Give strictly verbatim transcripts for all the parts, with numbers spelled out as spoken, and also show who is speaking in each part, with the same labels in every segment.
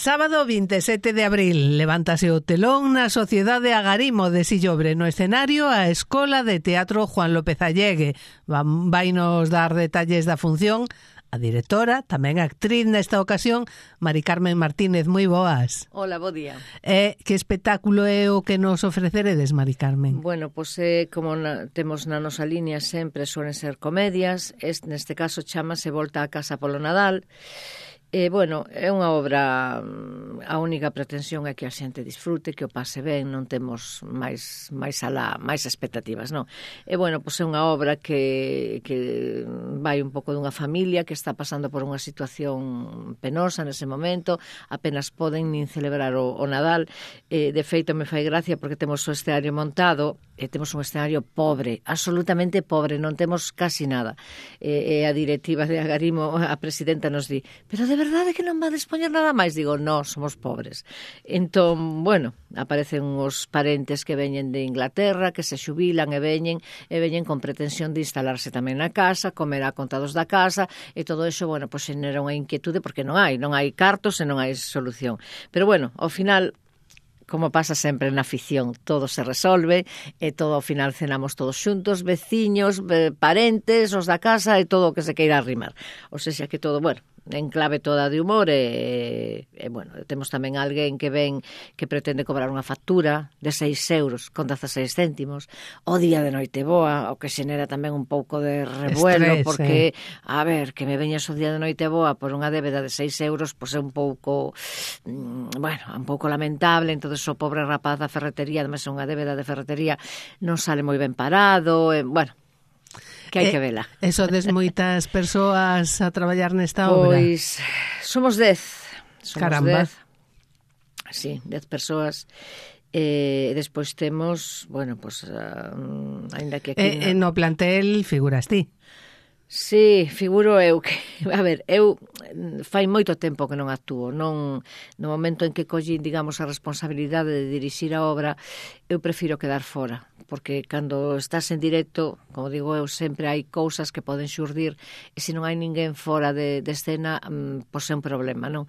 Speaker 1: Sábado vinte e sete de abril, levántase o telón na Sociedade Agarimo de Sillobre. No escenario, a Escola de Teatro Juan López Allegue. Vai nos dar detalles da función a directora, tamén actriz nesta ocasión, Mari Carmen Martínez. Moi boas.
Speaker 2: Hola, bo día.
Speaker 1: Eh, que espectáculo é o que nos ofreceredes, Mari Carmen?
Speaker 2: Bueno, pois eh, como na, temos na nosa línea sempre suelen ser comedias, este, neste caso chamase Volta a casa polo Nadal. E, bueno, é unha obra, a única pretensión é que a xente disfrute, que o pase ben, non temos máis máis alá, máis expectativas, non? E, bueno, pois é unha obra que, que vai un pouco dunha familia que está pasando por unha situación penosa nese momento, apenas poden nin celebrar o, o Nadal. E, de feito, me fai gracia porque temos o escenario montado, e temos un escenario pobre, absolutamente pobre, non temos casi nada. E, e a directiva de Agarimo, a presidenta, nos di, pero de verdade que non va a dispoñer nada máis? Digo, no, somos pobres. Entón, bueno, aparecen os parentes que veñen de Inglaterra, que se xubilan e veñen, e veñen con pretensión de instalarse tamén na casa, comer a contados da casa, e todo iso, bueno, pois xenera unha inquietude, porque non hai, non hai cartos e non hai solución. Pero bueno, ao final, como pasa sempre na ficción, todo se resolve e todo ao final cenamos todos xuntos, veciños, parentes, os da casa e todo o que se queira arrimar. O sea, que todo, bueno, en clave toda de humor e, e bueno, temos tamén alguén que ven que pretende cobrar unha factura de seis euros con dezaseis céntimos o día de Noiteboa, o que xenera tamén un pouco de revuelo. Estrés, porque, eh. a ver, que me veñas o día de Noiteboa por unha débeda de seis euros, pois é un pouco, bueno, un pouco lamentable. Entón, o pobre rapaz da ferretería, además é unha débeda de ferretería, non sale moi ben parado, e, bueno, que hai que vela.
Speaker 1: E sodes moitas persoas a traballar nesta obra?
Speaker 2: Pois somos dez. Somos
Speaker 1: Caramba.
Speaker 2: Dez. Sí, dez persoas. E despois temos, bueno, pois, uh, ainda que aquí...
Speaker 1: E no... no plantel figuras ti?
Speaker 2: Sí, figuro eu que, a ver, eu fai moito tempo que non actúo, non no momento en que collín, digamos, a responsabilidade de dirixir a obra, eu prefiro quedar fora, porque cando estás en directo, como digo eu, sempre hai cousas que poden xurdir, e se non hai ninguén fora de, de escena, pois é un problema, non?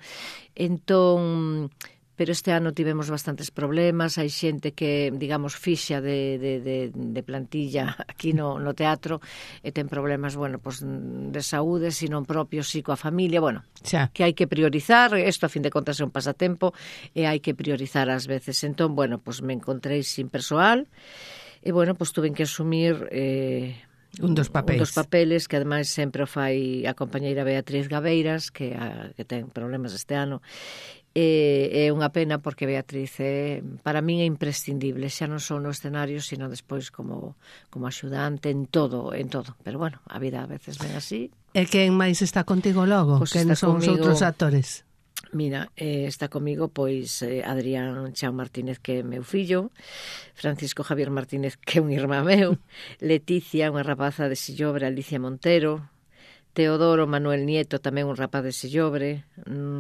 Speaker 2: Entón, pero este ano tivemos bastantes problemas, hai xente que, digamos, fixa de, de, de, de plantilla aquí no, no teatro e ten problemas, bueno, pues, de saúde, sino propio, si coa familia, bueno, xa. Que hai que priorizar, isto a fin de contas é un pasatempo e hai que priorizar ás veces. Entón, bueno, pues me encontrei sin persoal e, bueno, pues tuve que asumir... Eh,
Speaker 1: Un dos papeles.
Speaker 2: Un dos papeles que ademais sempre o fai a compañeira Beatriz Gabeiras, que, a, que ten problemas este ano. E é unha pena porque Beatriz é, para min é imprescindible, xa non só no escenario, sino despois como, como axudante en todo, en todo. Pero bueno, a vida a veces ven así.
Speaker 1: E quen máis está contigo logo?
Speaker 2: Pues
Speaker 1: quen son os outros actores?
Speaker 2: Mira, eh, está comigo pois eh, Adrián Chao Martínez, que é meu fillo, Francisco Javier Martínez, que é un irmán meu, Leticia, unha rapaza de Sillobre, Alicia Montero, Teodoro Manuel Nieto, tamén un rapaz de Sillobre,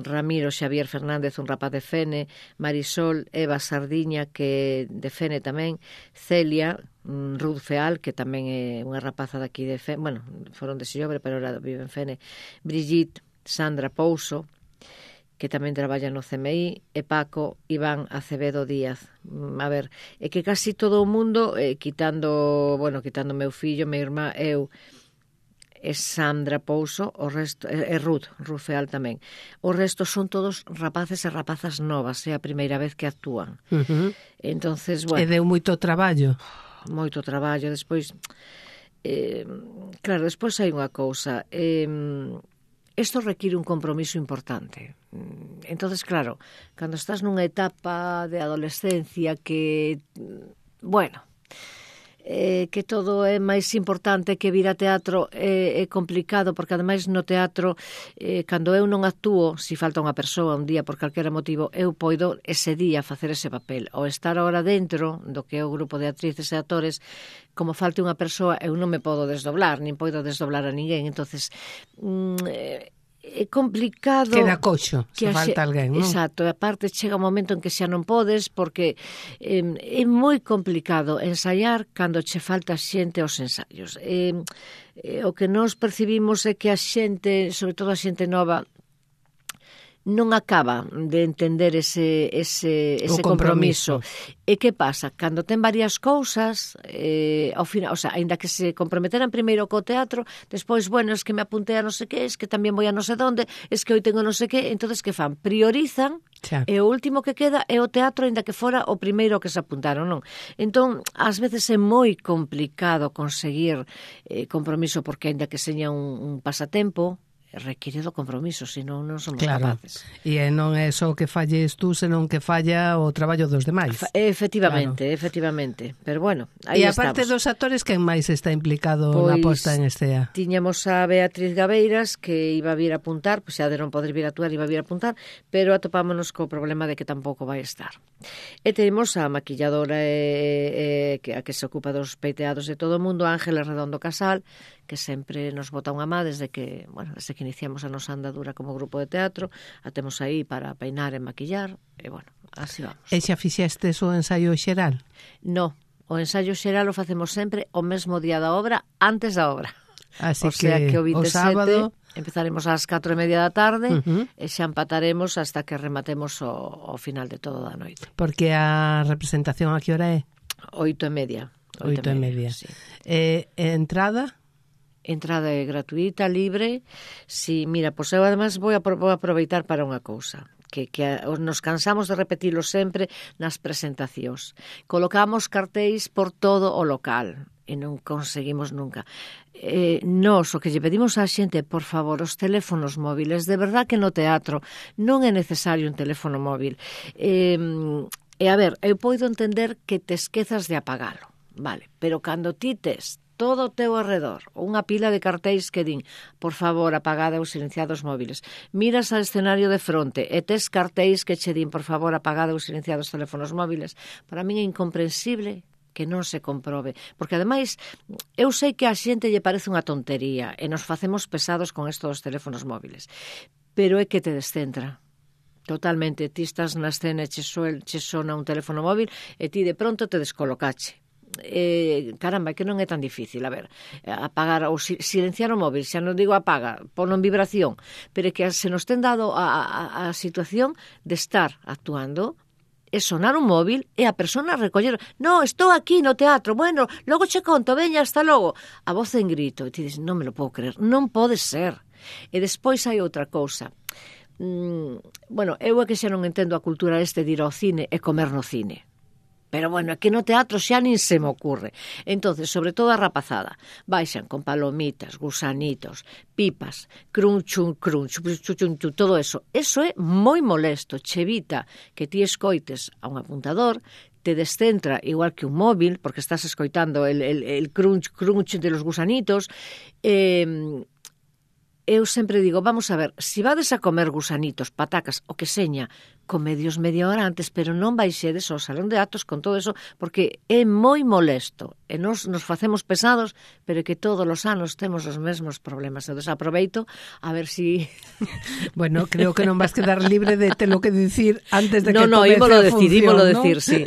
Speaker 2: Ramiro Xavier Fernández, un rapaz de Fene, Marisol Eva Sardiña, que de Fene tamén, Celia Ruth Feal, que tamén é unha rapaza daqui de Fene, bueno, foron de Sillobre, pero ahora vive en Fene, Brigitte Sandra Pouso, que tamén traballa no C M I, e Paco Iván Acevedo Díaz. A ver, é que casi todo o mundo, eh, quitando, bueno, quitando meu fillo, meu irmá, eu, e Sandra Pouso, o resto, e, e Ruth, Ruth Feal tamén. O resto son todos rapaces e rapazas novas, é a primeira vez que actúan.
Speaker 1: Uh-huh.
Speaker 2: Entonces, bueno...
Speaker 1: E deu moito traballo.
Speaker 2: Moito traballo, despois... Eh, claro, despois hai unha cousa... Eh, Isto require un compromiso importante. Entonces, claro, cando estás nunha etapa de adolescencia que, bueno, eh, que todo é máis importante que vir a teatro, é, é complicado, porque ademais no teatro, eh, cando eu non actúo, se falta unha persoa un día por calquera motivo, eu poido ese día facer ese papel. Ou estar ahora dentro do que é o grupo de actrices e actores, como falte unha persoa, eu non me podo desdoblar, nin podo desdoblar a ninguén. Entonces, mm, é complicado...
Speaker 1: Queda coxo, se falta alguén, non?
Speaker 2: Exacto, e aparte chega un momento en que xa non podes, porque eh, é moi complicado ensaiar cando che falta xente aos ensaios. Eh, eh, o que nós percibimos é que a xente, sobre todo a xente nova, non acaba de entender ese, ese, ese compromiso. compromiso. E que pasa? Cando ten varias cousas, eh, ao final, o sea, ainda que se comprometeran primeiro co teatro, despois, bueno, es que me apuntei a non sei que, es que tamén voy a non sei donde, es que hoy tengo non sei que, entonces que fan? Priorizan, xa. E o último que queda é o teatro, ainda que fora o primeiro que se apuntaron, non? Entón, ás veces é moi complicado conseguir eh, compromiso, porque ainda que seña un, un pasatempo, require do compromiso, senón non somos
Speaker 1: claro.
Speaker 2: capaces.
Speaker 1: E non é só que falles tú, senón que falla o traballo dos demais.
Speaker 2: Efectivamente, claro. efectivamente. Pero bueno, aí
Speaker 1: estamos. E aparte
Speaker 2: estamos.
Speaker 1: dos actores, quen máis está implicado
Speaker 2: pois,
Speaker 1: na posta en escena?
Speaker 2: Tiñamos a Beatriz Gabeiras, que iba a vir a apuntar, pois xa de non poder vir a actuar, iba a vir a apuntar, pero atopámonos co problema de que tampouco vai estar. E temos a maquilladora e, e, que, a que se ocupa dos peiteados de todo o mundo, Ángeles Redondo Casal, que sempre nos bota unha má desde que, bueno, desde que iniciamos a nosa andadura como grupo de teatro, a temos aí para peinar e maquillar, e bueno, así vamos.
Speaker 1: E xa fixestes o ensaio xeral?
Speaker 2: No, o ensaio xeral o facemos sempre o mesmo día da obra, antes da obra.
Speaker 1: Así
Speaker 2: o sea
Speaker 1: que,
Speaker 2: que o veintisiete
Speaker 1: o sábado
Speaker 2: empezaremos ás catro e media da tarde
Speaker 1: uh-huh.
Speaker 2: e xa empataremos hasta que rematemos o, o final de todo da noite.
Speaker 1: Porque a representación a que hora é?
Speaker 2: Oito e media.
Speaker 1: Oito e media.
Speaker 2: Sí.
Speaker 1: E, e entrada?
Speaker 2: Entrada é gratuita, libre. Si, mira, pois eu además vou, a, vou aproveitar para unha cousa, que, que nos cansamos de repetilo sempre nas presentacións. Colocamos cartéis por todo o local e non conseguimos nunca. Eh, nos, o que lle pedimos á xente, por favor, os teléfonos móviles, de verdad que no teatro non é necesario un teléfono móvil. Eh, e a ver, eu poido entender que te esquezas de apagalo, vale, pero cando ti tes todo o teu arredor, unha pila de cartéis que din, por favor, apagada ou silenciados móviles. Miras ao escenario de fronte e tes cartéis que che din, por favor, apagada ou silenciados teléfonos móviles. Para min é incomprensible que non se comprobe. Porque, ademais, eu sei que a xente lle parece unha tontería e nos facemos pesados con isto dos teléfonos móviles. Pero é que te descentra. Totalmente. Ti estás na escena e che, suel, che sona un teléfono móvil e ti de pronto te descolocache. Eh, caramba, que non é tan difícil. A ver, apagar ou silenciar o móvil, xa non digo apaga, pono en vibración, pero é que se nos ten dado a, a, a situación de estar actuando e sonar un móvil e a persona recoller, no, estou aquí no teatro, bueno, logo che conto, veña, hasta logo, a voz en grito, e ti dices, non me lo podo creer, non pode ser. E despois hai outra cousa. Mm, bueno, eu é que xa non entendo a cultura este de ir ao cine e comer no cine. Pero bueno, aquí no teatro xa nin se me ocurre. Entonces, sobre todo a rapazada, baixan con palomitas, gusanitos, pipas, crunchun, crunch, chuchunchu, todo eso. Eso é moi molesto. Che evita que ti escoites a un apuntador, te descentra igual que un móvil, porque estás escoitando el, el, el crunch, crunch de los gusanitos. Eh, eu sempre digo, vamos a ver, se si vades a comer gusanitos, patacas, o que seña, comedios media hora antes, pero non baixedes ao salón de actos con todo eso, porque é moi molesto. E nos, nos facemos pesados, pero que todos os anos temos os mesmos problemas. Entón, aproveito a ver si...
Speaker 1: Bueno, creo que non vas quedar libre de te lo que dicir antes de
Speaker 2: no,
Speaker 1: que
Speaker 2: no,
Speaker 1: comece
Speaker 2: ímolo
Speaker 1: a
Speaker 2: decir,
Speaker 1: función,
Speaker 2: ímolo
Speaker 1: ¿no?
Speaker 2: decir, sí.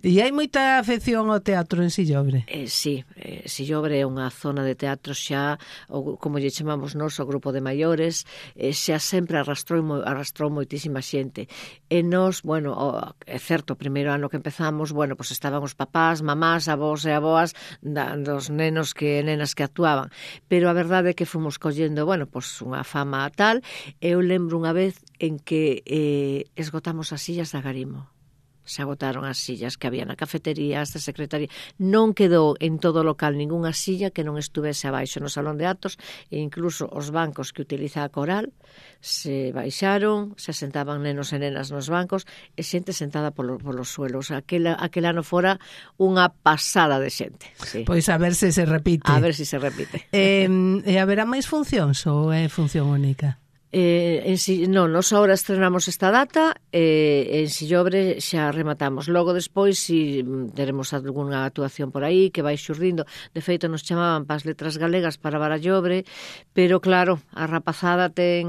Speaker 1: E hai moita afección ao teatro en Sillobre?
Speaker 2: Eh, sí, eh, Sillobre é unha zona de teatro xa, o, como lle chamamos nós, o grupo de maiores, eh, xa sempre arrastrou, arrastrou moitísima xente. E nos, bueno, o, é certo, o primeiro ano que empezamos, bueno, pues estaban os papás, mamás, avós e avoas da, dos nenos que nenas que actuaban. Pero a verdade é que fomos collendo, bueno, pues unha fama tal. Eu lembro unha vez en que eh, esgotamos as sillas da Agarimo. Se agotaron as sillas que había na cafetería, esta secretaría. Non quedou en todo o local ningunha silla que non estuvese abaixo no salón de actos, e incluso os bancos que utiliza a coral se baixaron, se sentaban nenos e nenas nos bancos e xente sentada polo, polos suelos. Aquel, aquel ano fora unha pasada de xente. Sí.
Speaker 1: Pois a ver se se repite.
Speaker 2: A ver se se repite.
Speaker 1: Eh, e haberá máis funcións ou é función única?
Speaker 2: Eh, en si, non, nos ahora estrenamos esta data e eh, en Sillobre xa rematamos. Logo despois si teremos algunha actuación por aí que vai xurdindo. De feito nos chamaban para as letras galegas para Barallobre, pero claro, a rapazada ten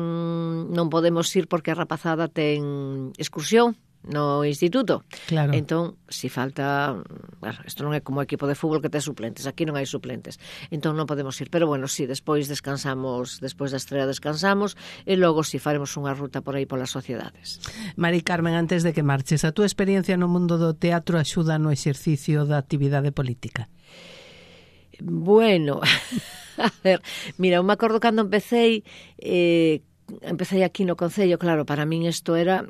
Speaker 2: non podemos ir porque a rapazada ten excursión no instituto.
Speaker 1: Claro.
Speaker 2: Entón, si falta, bueno, isto non é como o equipo de fútbol que ten suplentes, aquí non hai suplentes, entón non podemos ir, pero bueno, si despois descansamos, despois da estrela descansamos, e logo si faremos unha ruta por aí polas sociedades.
Speaker 1: Mari Carmen, antes de que marches, a túa experiencia no mundo do teatro axuda no exercicio da actividade política?
Speaker 2: Bueno, a ver, mira, eu me acordo cando empecé, eh, empecé aquí no Concello, claro, para min isto era...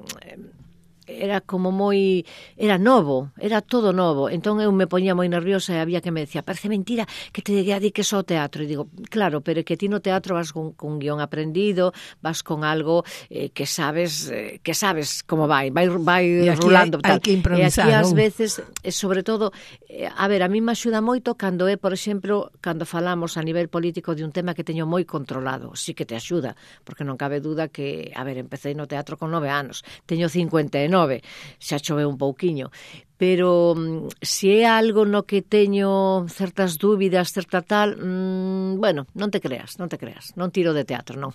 Speaker 2: era como moi... era novo, era todo novo. Entón eu me poñía moi nerviosa e había que me decía, parece mentira que te dediques ao teatro. E digo, claro, pero é que ti no teatro vas con, con guión aprendido, vas con algo eh, que sabes eh, que sabes como vai, vai, vai rulando.
Speaker 1: Hai, hai que improvisar,
Speaker 2: e aquí ás
Speaker 1: non?
Speaker 2: veces, eh, sobre todo, eh, a ver, a mí me axuda moito cando é, por exemplo, cando falamos a nivel político de un tema que teño moi controlado. Sí que te axuda, porque non cabe duda que, a ver, empecé no teatro con nove anos, teño cincuenta e nove, xa choveu un pouquiño, pero se é algo no que teño certas dúbidas, certa tal, mmm, bueno, non te creas, non te creas, non tiro de teatro, non.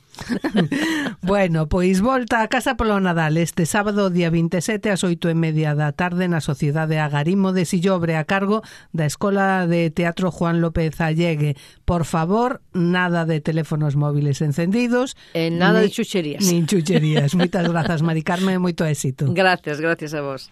Speaker 1: Bueno, pois volta a casa polo Nadal este sábado, día vinte e sete, ás oito e media da tarde na Sociedade Agarimo de Sillobre, a cargo da Escola de Teatro Juan López Allegue. Por favor, nada de teléfonos móviles encendidos.
Speaker 2: E nada
Speaker 1: ni,
Speaker 2: de chucherías.
Speaker 1: Nin chucherías. Moitas grazas, Mari Carmen, moito éxito.
Speaker 2: Gracias, gracias a vos.